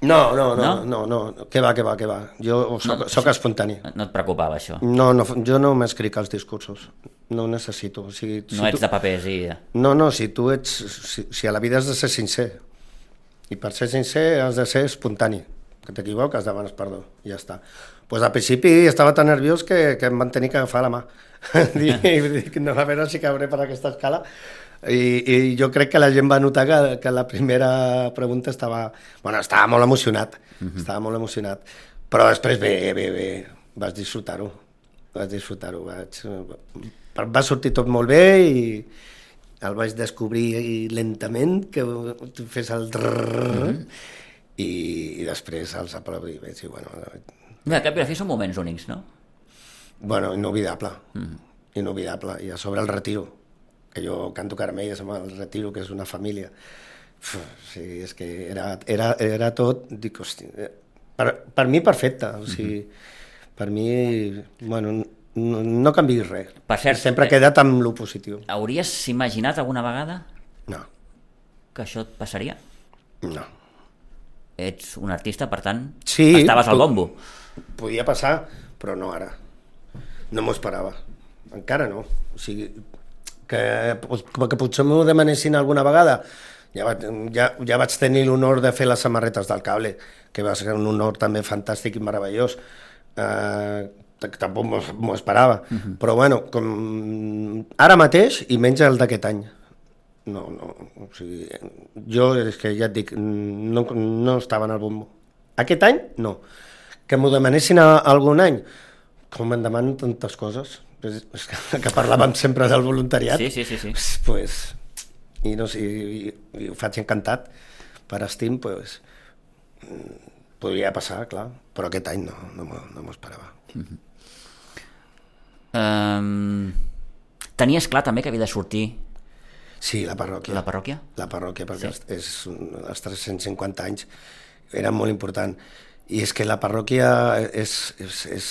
No, no, no, no, no, no, que va, que va, que va. Jo soc, no, soc espontani. No et preocupava, això? No, no, jo no m'escric als discursos. No ho necessito. O sigui, si no ets tu... de papers i... No, no, si tu ets... Si, si a la vida has de ser sincer, i per ser sincer has de ser espontani, que t'equivoques, demanes perdó, i ja està. Pues al principi estava tan nerviós que, que em van tenir que agafar la mà. Dic, no, a veure si cabré per aquesta escala. I, i jo crec que la gent va notar que, que la primera pregunta estava... Bueno, estava molt emocionat, uh-huh. estava molt emocionat, però després bé, bé, bé, vas disfrutar-ho, vas disfrutar-ho, vaig... va sortir tot molt bé i el vaig descobrir lentament, que fes el drrrr, uh-huh. i, i després els aplaudiments, i bueno... Mira, que per fi són moments únics, no? Bueno, inolvidable, uh-huh. inolvidable, i a sobre el Retiro, que jo canto caramelles amb el Retiro, que és una família. Uf, sí, és que era, era, era tot, dic, hosti, per, per mi perfecte, o sigui, uh-huh. per mi, bueno, no, no canviïs res. Per cert, sempre he quedat amb lo positiu. Hauries imaginat alguna vegada no. que això et passaria? No. Ets un artista, per tant, sí, estaves al bombo. Podia passar, però no ara. No m'ho esperava. Encara no. O sigui, que, que potser m'ho demanessin alguna vegada. Ja, va, ja, ja vaig tenir l'honor de fer les samarretes del Cable, que va ser un honor també fantàstic i meravellós. Eh, tampoc m'ho esperava. Uh-huh. Però bueno, com ara mateix, i menys el d'aquest any. No, no, o sigui, jo és que ja et dic, no, no estava en el bombo. Aquest any, no. Que m'ho demanessin a, a algun any, com em demanen tantes coses, és, és que, que parlàvem sempre del voluntariat, sí, sí, sí, sí. Pues, i, no sé, i, i ho faig encantat, per estim, pues, podria passar, clar, però aquest any no, no m'ho no esperava. Uh-huh. Um, tenies clar també que havia de sortir sí, la parròquia. La parròquia? La parròquia, perquè sí. és, els tres-cents cinquanta anys eren molt important. I és que la parròquia és, és, és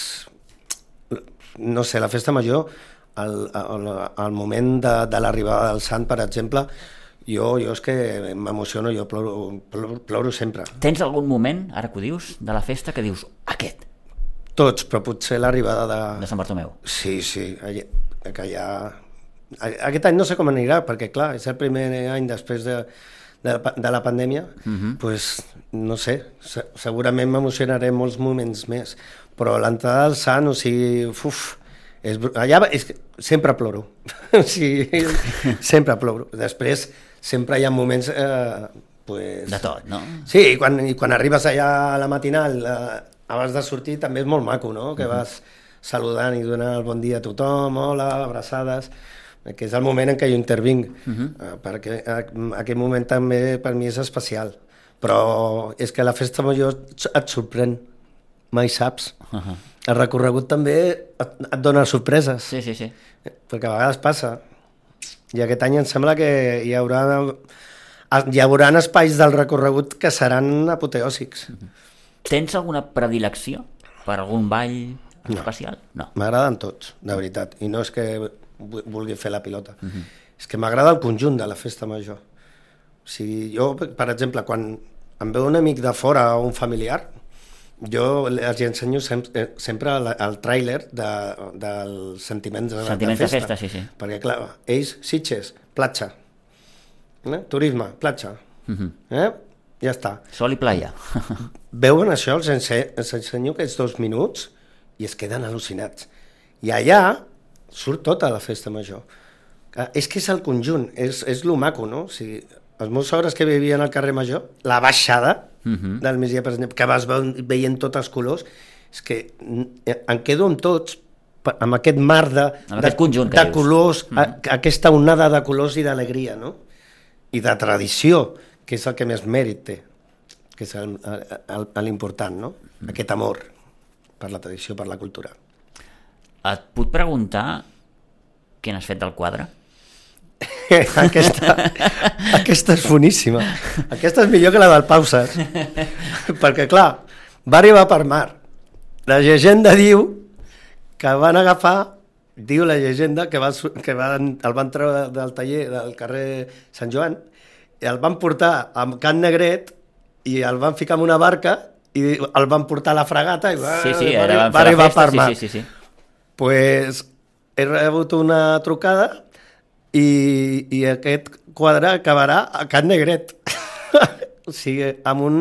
no sé, la festa major, al, al, al moment de, de l'arribada del sant, per exemple, jo, jo és que m'emociono, jo ploro, ploro, ploro sempre. Tens algun moment, ara que ho dius, de la festa que dius, aquest? Tots, però potser l'arribada de... De Sant Bartomeu? Sí, sí. que ja... Aquest any no sé com anirà, perquè clar, és el primer any després de, de, de la pandèmia, uh-huh. pues, no sé, se, segurament m'emocionaré molts moments més, però l'entrada del Sant, o sigui, uf, és, allà és, sempre ploro, o sigui, sempre ploro. Després sempre hi ha moments... Eh, pues, de tot, no? Sí, i quan, i quan arribes allà a la matinal, eh, abans de sortir, també és molt maco, no? Que uh-huh. vas saludant i donant el bon dia a tothom, hola, abraçades... que és el moment en què jo intervinc, uh-huh. uh, perquè aquest moment també per mi és especial, però és que la festa major et sorprèn, mai saps. Uh-huh. El recorregut també et, et dona sorpreses, sí, sí, sí. perquè a vegades passa, i aquest any em sembla que hi haurà, hi haurà espais del recorregut que seran apoteòsics. Uh-huh. Tens alguna predilecció per algun ball especial? No. M'agraden tots, de veritat, i no és que vulgui fer la pilota. Uh-huh. És que m'agrada el conjunt de la festa major. O sigui, jo, per exemple, quan em veu un amic de fora o un familiar, jo els ensenyo sempre, sempre el, el tràiler de, dels sentiments de, sentiments de festa. de festa, sí, sí. Perquè, clar, ells, Sitges, platja. Eh? Turisme, platja. Uh-huh. Eh? Ja està. Sol i playa. Veuen això, els, ense els ensenyo aquests dos minuts i es queden al·lucinats. I allà surt tota la festa major. És que és el conjunt, és, és lo maco, no? O sigui, els meus sogres que vivien al carrer Major, la baixada uh-huh. del migdia, per exemple, que vas veient tots els colors, és que em quedo amb tots, amb aquest mar de, de, conjunt de colors, uh-huh. a, aquesta onada de colors i d'alegria, no? I de tradició, que és el que més mèrit té, que és l'important, no? Uh-huh. Aquest amor per la tradició, per la cultura. Et puc preguntar què n'has fet del quadre? aquesta, aquesta és boníssima. Aquesta és millor que la del Pauses. Perquè, clar, va arribar per mar. La llegenda diu que van agafar, diu la llegenda, que, va, que van, el van treure del taller del carrer Sant Joan, i el van portar a Can Negret i el van ficar en una barca i el van portar a la fragata i va, sí, sí, va, va, va arribar festa, per mar. Sí, sí, sí, sí. Pues he rebut una trucada i, i aquest quadre acabarà a Can Negret. O sigui, amb un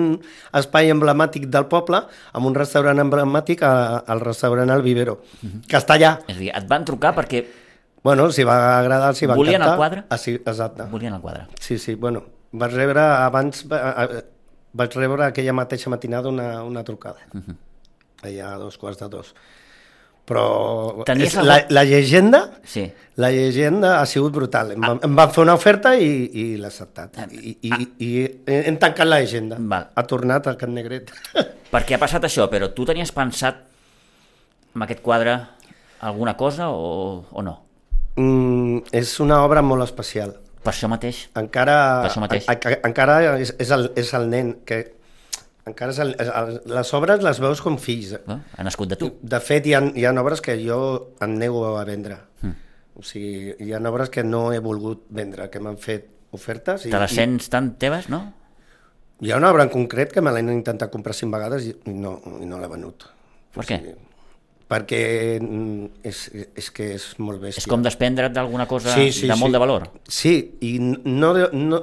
espai emblemàtic del poble, amb un restaurant emblemàtic al restaurant El Vivero, uh-huh. que està allà. És a dir, et van trucar perquè... Bueno, si va agradar, si va volien encantar. El quadre? Ah, sí, exacte. Volien el quadre. Sí, sí, bueno, vaig rebre abans, vaig rebre aquella mateixa matinada una, una trucada, uh-huh. allà a dos quarts de dos. Però és, la, la llegenda sí. la llegenda ha sigut brutal. Em, ah. em van fer una oferta i, i l'he acceptat. I, i, ah. i hem tancat la llegenda. Val. Ha tornat al Can Negret. Perquè ha passat això, però tu tenies pensat amb aquest quadre alguna cosa o, o no? Mm, és una obra molt especial. Per això mateix? Encara, per això mateix. A, a, encara és, és, el, és el nen que... Encara és el, el, les obres les veus com fills. No? Ha nascut de tu. De fet, hi ha, hi ha obres que jo em nego a vendre. Mm. O sigui, hi ha obres que no he volgut vendre, que m'han fet ofertes. I, te les sents i... tan teves, no? Hi ha una obra en concret que me l'he intentat comprar cinc vegades i no, i no l'he venut. Per o què? Sigui, perquè és, és que és molt bèstia. És com desprendre't d'alguna cosa sí, sí, de molt sí. de valor? Sí, i no... no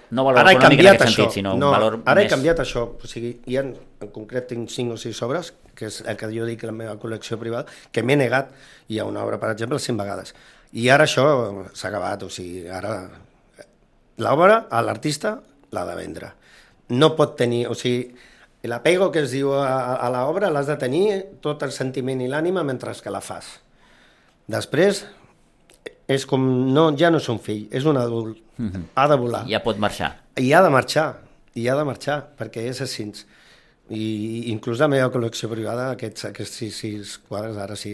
No valor ara econòmic en aquest això. Sentit, sinó no, un valor ara més... he canviat això. O sigui, hi ha, en concret tinc cinc o sis obres, que és el que jo dic la meva col·lecció privada, que m'he negat. Hi ha una obra, per exemple, cinc vegades. I ara això s'ha acabat. O sigui, ara l'obra, a l'artista, l'ha de vendre. No pot tenir... O sigui, l'apego que es diu a, a l'obra l'has de tenir tot el sentiment i l'ànima mentre que la fas. Després... és com, no, ja no és un fill, és un adult, mm-hmm. ha de volar. Ja pot marxar. I ha de marxar, i ha de marxar, perquè és així. I inclús la meva col·lecció privada, aquests, aquests sis, sis quadres, ara sí,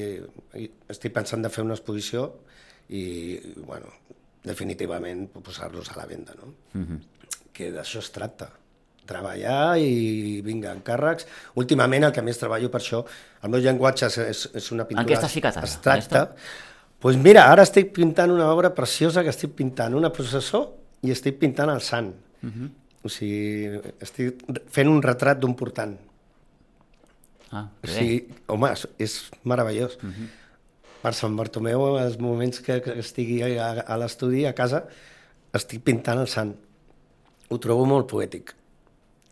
estic pensant de fer una exposició i, bueno, definitivament posar-los a la venda, no? Mm-hmm. Que d'això es tracta. Treballar i vinga, encàrrecs. Últimament el que més treballo per això, el meu llenguatge és, és una pintura... En què estàs ficat ara? Abstracta. Pues mira, ara estic pintant una obra preciosa que estic pintant una processó i estic pintant el sant. Uh-huh. O sigui, estic fent un retrat d'un portant. Ah, o sigui, home, és, és meravellós. Uh-huh. per Sant Bartomeu, els moments que, que estigui a, a l'estudi, a casa, estic pintant el sant. Ho trobo molt poètic.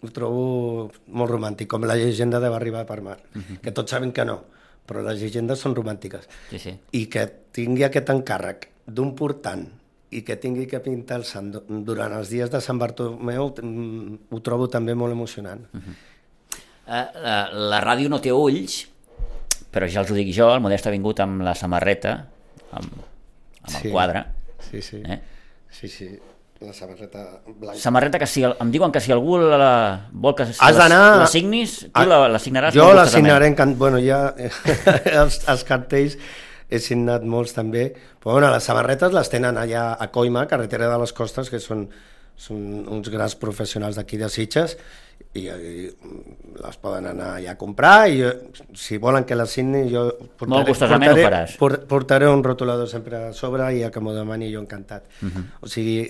Ho trobo molt romàntic, com la llegenda de Va arribar per mar, uh-huh. que tots saben que no, però les llegendes són romàntiques. Sí, sí. I que tingui aquest encàrrec d'un portant i que tingui que pintar el sant durant els dies de Sant Bartomeu, ho trobo també molt emocionant. Uh-huh. uh, la, la ràdio no té ulls, però ja els ho dic jo, el Modest ha vingut amb la samarreta, amb, amb el sí, quadre. Sí, sí. Eh? Sí, sí. La samarreta blanca. Samarreta que si el, em diuen que si algú la, la vol que si has la, la signis, tu la, la signaràs. Jo la signaré, en, bueno, ja els, els cartells he signat molts també, però bueno, les samarretes les tenen allà a Coima, carretera de les Costes, que són, són uns grans professionals d'aquí de Sitges, i, i les poden anar allà a comprar, i jo, si volen que les signi, jo portaré, molt gustosament portaré, ho faràs. Portaré un rotulador sempre a sobre i a que m'ho demani jo encantat. Uh-huh. O sigui,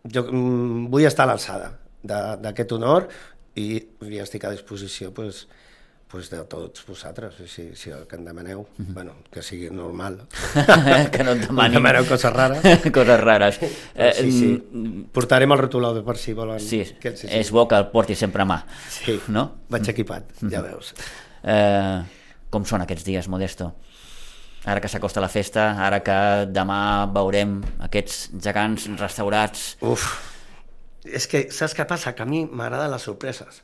jo mm, vull estar a l'alçada d'aquest honor i, i estic a disposició pues, pues de tots vosaltres, si, si el que em demaneu, uh-huh. bueno, que sigui normal. Que no et demanin. No demaneu coses rares. Coses rares. Eh, sí, sí. Portarem el rotulador per si volen. Sí, que, sí, sí. És bo que el porti sempre a mà. Sí, no? Vaig equipat, uh-huh. ja veus. Eh, com són aquests dies, Modesto? Ara que s'acosta la festa, ara que demà veurem aquests gegants restaurats... Uf, és que saps què passa? Que a mi m'agraden les sorpreses.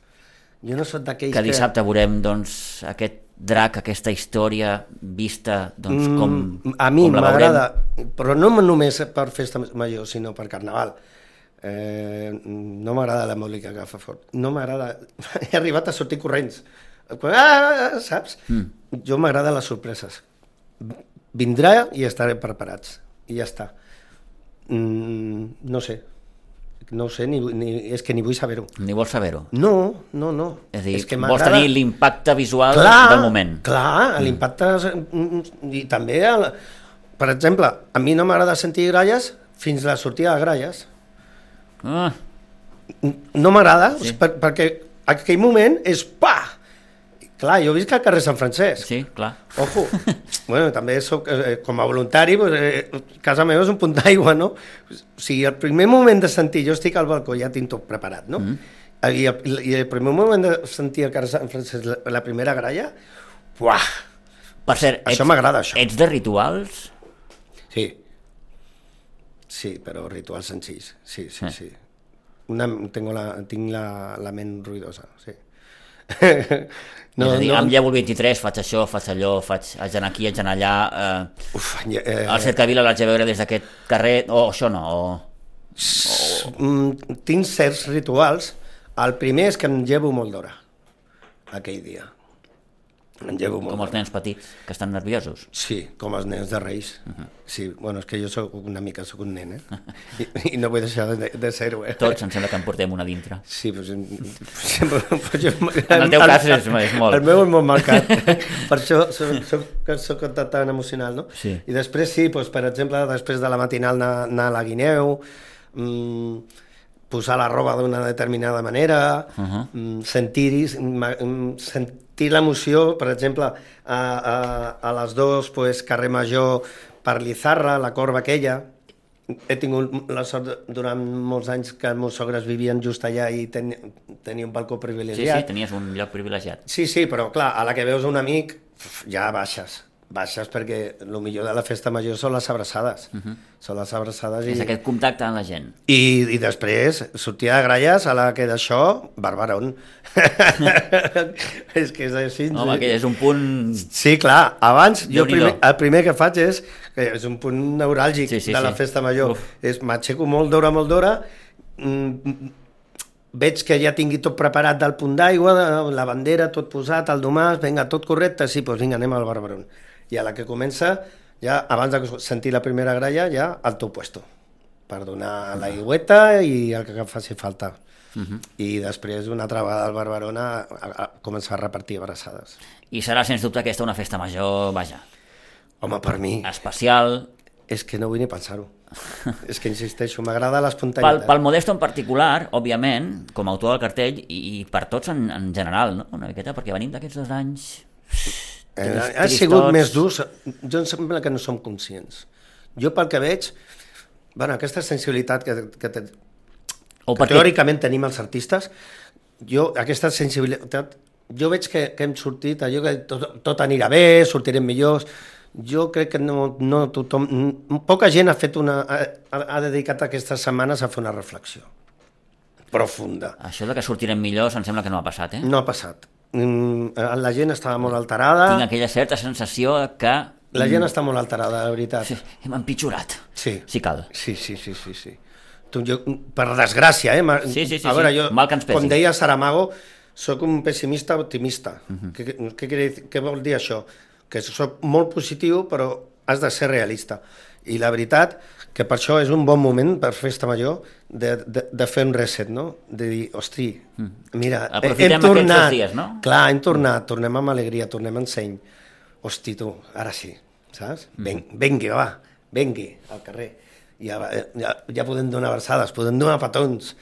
Jo no soc d'aquells que... dissabte que... veurem, doncs, aquest drac, aquesta història vista, doncs, com, mm, a mi com la m'agrada, veurem. Però no només per festa major, sinó per carnaval. Eh, no m'agrada la música que fa fort. No m'agrada... He arribat a sortir corrents. Ah, saps? Mm. Jo m'agraden les sorpreses. Vindrà i estarem preparats i ja està. mm, no sé no sé, ni, ni, és que ni vull saber-ho. Ni vols saber-ho? No, no, no. És a dir, és que vols tenir l'impacte visual clar, del moment. Clar, l'impacte i també el, per exemple, a mi no m'agrada sentir gralles fins la sortida de gralles. Ah. No m'agrada, sí. per, perquè aquell moment és pa! Clar, jo visc al carrer Sant Francesc. Sí, clar. Ojo. Bueno, també soc, eh, com a voluntari, pues, eh, casa meva és un punt d'aigua, no? O sigui, el primer moment de sentir, jo estic al balcó, ja tinc tot preparat, no? Mm. I, el, I el primer moment de sentir al carrer Sant Francesc, la, la primera gralla, uah! Per cert, això ets, m'agrada, això. Ets de rituals? Sí. Sí, però rituals senzills. Sí, sí, eh. sí. Una, tengo la, tinc la, la ment ruïdosa, sí. No, és a dir, no... em llevo el vint-i-tres, faig això, faig allò, faig haig d'anar aquí, haig d'anar allà. Eh, Uf, eh, el Cercavila l'haig de veure des d'aquest carrer, o això no? O, o... Mm, tinc certs rituals. El primer és que em llevo molt d'hora, aquell dia. Em llevo molt com els nens petits, que estan nerviosos? Sí, com els nens de Reis. Uh-huh. Sí, bueno, és que jo soc una mica, soc un nen, eh? I, i no vull deixar de, de ser-ho, eh? Tots, em sembla que en portem una dintre. Sí, doncs... Pues, pues jo, en el teu cas és, és molt. El meu és molt marcat. Per això soc, soc, soc tan emocional, no? Sí. I després sí, doncs, per exemple, després de la matinal anar, anar a la Guineu, mmm, posar la roba d'una determinada manera, uh-huh. mmm, sentir-hi, sentir l'emoció, per exemple, a, a, a les dos, pues, carrer Major per Lizarra, la corba aquella. He tingut la sort durant molts anys que els meus sogres vivien just allà i ten, tenia un balcó privilegiat. Sí, sí, tenies un lloc privilegiat. Sí, sí, però clar, a la que veus un amic, ja baixes. Baixes perquè el millor de la festa major són les abraçades. Uh-huh. Són les abraçades. És i... aquest contacte amb la gent. I, i després, sortida de gralles, a la que d'això, barbarón. És que és així. Home, que és un punt... Sí, clar, abans, jo primer, el primer que faig és, que és un punt neuràlgic sí, sí, de la sí. festa major, Uf. és m'aixeco molt d'hora, molt d'hora, mm, veig que ja tingui tot preparat del punt d'aigua, la bandera, tot posat, el domàs, vinga, tot correcte, sí, doncs vinga, anem al barbarón. I a la que comença, ja abans de sentir la primera gralla, ja al teu puesto, per donar l'aigüeta i el que faci falta. Uh-huh. I després, una altra vegada al Barbarón, a, a, a començar a repartir abraçades. I serà, sens dubte, aquesta una festa major, vaja. Home, per mi... especial. És que no vull ni pensar-ho. És que, insisteixo, m'agrada l'espontaneïtat. Pel, pel Modesto en particular, òbviament, com a autor del cartell, i, i per tots en, en general, no? Una miqueta, perquè venim d'aquests dos anys Eh, ha sigut més durs, jo em sembla que no som conscients. Jo pel que veig, bueno, aquesta sensibilitat que, que, te, que perquè... teòricament tenim els artistes, jo aquesta sensibilitat, jo veig que, que hem sortit, allò que tot, tot anirà bé, sortirem millors, jo crec que no, no tothom, poca gent ha fet una, ha, ha dedicat aquestes setmanes a fer una reflexió profunda. Això de que sortirem millors em sembla que no ha passat, eh? No ha passat. La gent estava molt alterada. Tinc aquella certa sensació que... La gent està molt alterada, la veritat. Sí, hem empitjorat, sí. si cal. Sí, sí, sí, sí, sí. Tu, jo, per desgràcia, eh? Sí, sí, sí, a veure, sí. Jo, mal que ens pesi. Com deia Saramago, soc un pessimista optimista. Uh-huh. Què, què, què vol dir això? Que soc molt positiu, però has de ser realista. I la veritat, que per això és un bon moment per Festa Major de, de, de fer un reset, no? De dir, hosti, mira, aprofitem hem tornat, aquests dos dies, no? Clar, hem tornat, tornem amb alegria, tornem amb seny. Hosti, tu, ara sí, saps? Ven, vengui, va, vengui al carrer. Ja, ja, ja podem donar abraçades, podem donar petons.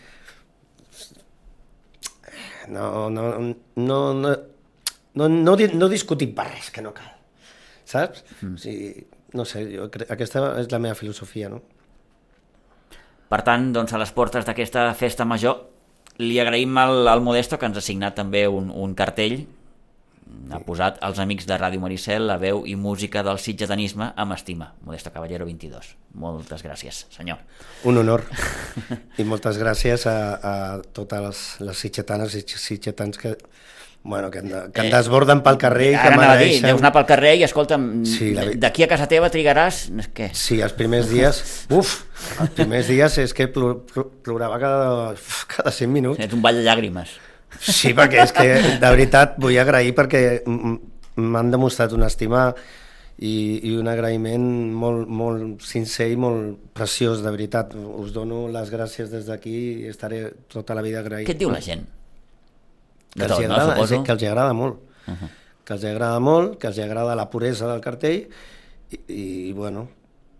No, no, no, no, no, no, no discutim per res, que no cal, saps? Mm. O sigui, no sé, jo crec, aquesta és la meva filosofia, no? Per tant, doncs, a les portes d'aquesta festa major, li agraïm al, al Modesto que ens ha signat també un, un cartell, ha posat els amics de Ràdio Maricel, la veu i música del sitgetanisme amb estima. Modesto Caballero vint-i-dos. Moltes gràcies, senyor. Un honor. I moltes gràcies a, a totes les, les sitgetanes i sitgetans que... Bueno, que, que en desborden pel carrer i que m'agraeixen. Deus anar pel carrer i, escolta'm, sí, la... d'aquí a casa teva trigaràs... Què? Sí, els primers dies... Uf, els primers dies és que plor, plorava cada, cada cinc minuts. Ets un ball de llàgrimes. Sí, perquè és que, de veritat, vull agrair perquè m'han demostrat una estima i, i un agraïment molt, molt sincer i molt preciós, de veritat. Us dono les gràcies des d'aquí i estaré tota la vida agraït. Què et diu la gent? Que els, tot, agrada, no, que els agrada molt, uh-huh. que els agrada molt, que els agrada la puresa del cartell i, i bueno,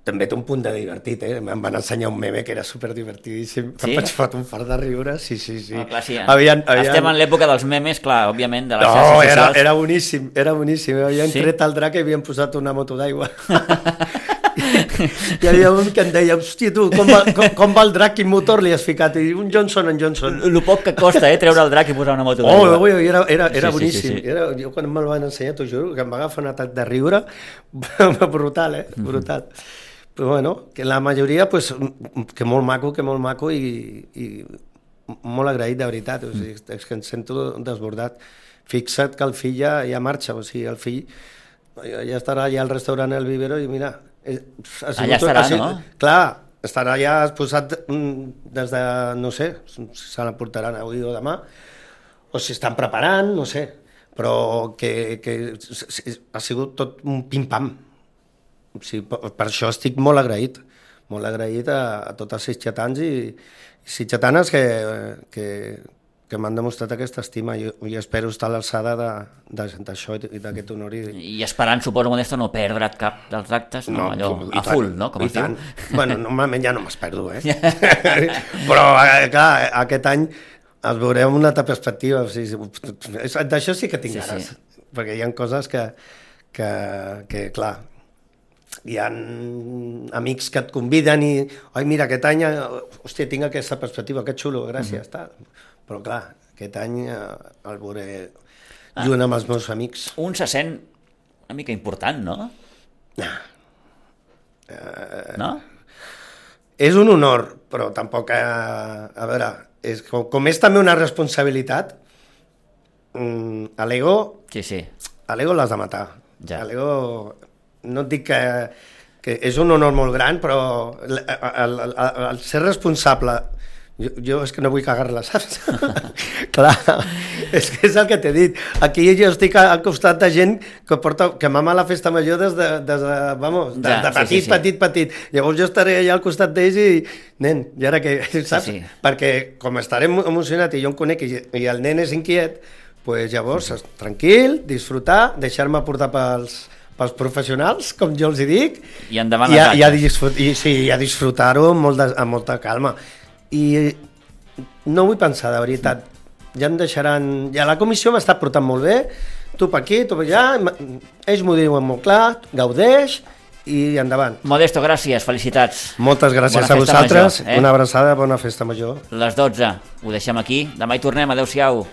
també té un punt de divertit, eh? Em van ensenyar un meme que era superdivertidíssim, sí? Em vaig fotre un fart de riure, sí, sí, sí. No, clar, sí eh? havien, havien... Estem en l'època dels memes, clar, òbviament, de les no, xarxes socials. Era, era boníssim, era boníssim, havien sí? tret el drac i havien posat una moto d'aigua. Hi havia un que em deia, hòstia tu, com va, com, com va el drac, quin motor li has ficat? I un Johnson en Johnson. El poc que costa, eh, treure el drac i posar una moto d'aigua. Oh, era, era, era sí, boníssim. Sí, sí, sí. Era, jo quan me'l van ensenyar, t'ho juro, que em va agafar un atac de riure brutal, eh? Brutal. Mm-hmm. Però bueno, que la majoria, pues, que molt maco, que molt maco i, i molt agraït, de veritat. O sigui, és que em sento desbordat. Fixa't que el fill ja, ja marxa, o sigui, el fill ja estarà allà al restaurant El Vivero i mira... Sigut, allà estarà, sigut, no? Clar, estarà ja exposat des de, no sé, se l'emportaran avui o demà, o si estan preparant, no sé, però que, que ha sigut tot un pim-pam. O sigui, per, per això estic molt agraït, molt agraït a, a tots els sitgetans i, i sitgetanes que, que, que m'han demostrat aquesta estima i, i espero estar a l'alçada d'això i d'aquest honor. I, I esperant, suposo, Modesto, no perdre't cap dels actes, no, no allò a full, no? Com es diu? Bueno, normalment ja no m'esperdo, eh? Però, clar, aquest any els veurem una altra perspectiva. O sigui, d'això sí que tinc sí, ganes, sí. Perquè hi ha coses que, que, que, clar, hi ha amics que et conviden i, oi, mira, aquest any, hòstia, tinc aquesta perspectiva, que xulo, gràcies, mm-hmm. tal. Però clar, aquest any el veuré ah. junt amb els meus amics. Un se sent una mica important, no? No. Uh, no? És un honor, però tampoc, a, a veure, és, com, com és també una responsabilitat, um, a l'ego sí, sí. a l'ego l'has de matar. Ja. A l'ego, no et dic que, que és un honor molt gran, però el, el, el, el ser responsable... Jo, jo és que no vull cagar-la, saps? Clar, és que és el que t'he dit. Aquí jo estic al costat de gent que porta, que mama la festa major des de, des de, vamos, de, ja, de petit, sí, sí, sí. petit, petit. Llavors jo estaré allà al costat d'ells i, nen, i ara què, saps? Sí, sí. Perquè com estaré emocionat i jo em conec i, i el nen és inquiet, pues llavors, sí, sí. tranquil, disfrutar, deixar-me portar pels, pels professionals, com jo els hi dic, i endavant i, les a, i, a disfrut, i, sí, i a disfrutar-ho amb, molt de, amb molta calma. I no vull pensar, de veritat, ja em deixaran... Ja la comissió m'ha estat portant molt bé, tu per aquí, tu per allà, ells m'ho diuen molt clar, gaudeix i endavant. Modesto, gràcies, felicitats. Moltes gràcies bona a vosaltres, major, eh? Una abraçada, bona festa major. Les dotze, ho deixem aquí, demà hi tornem, adeu-siau.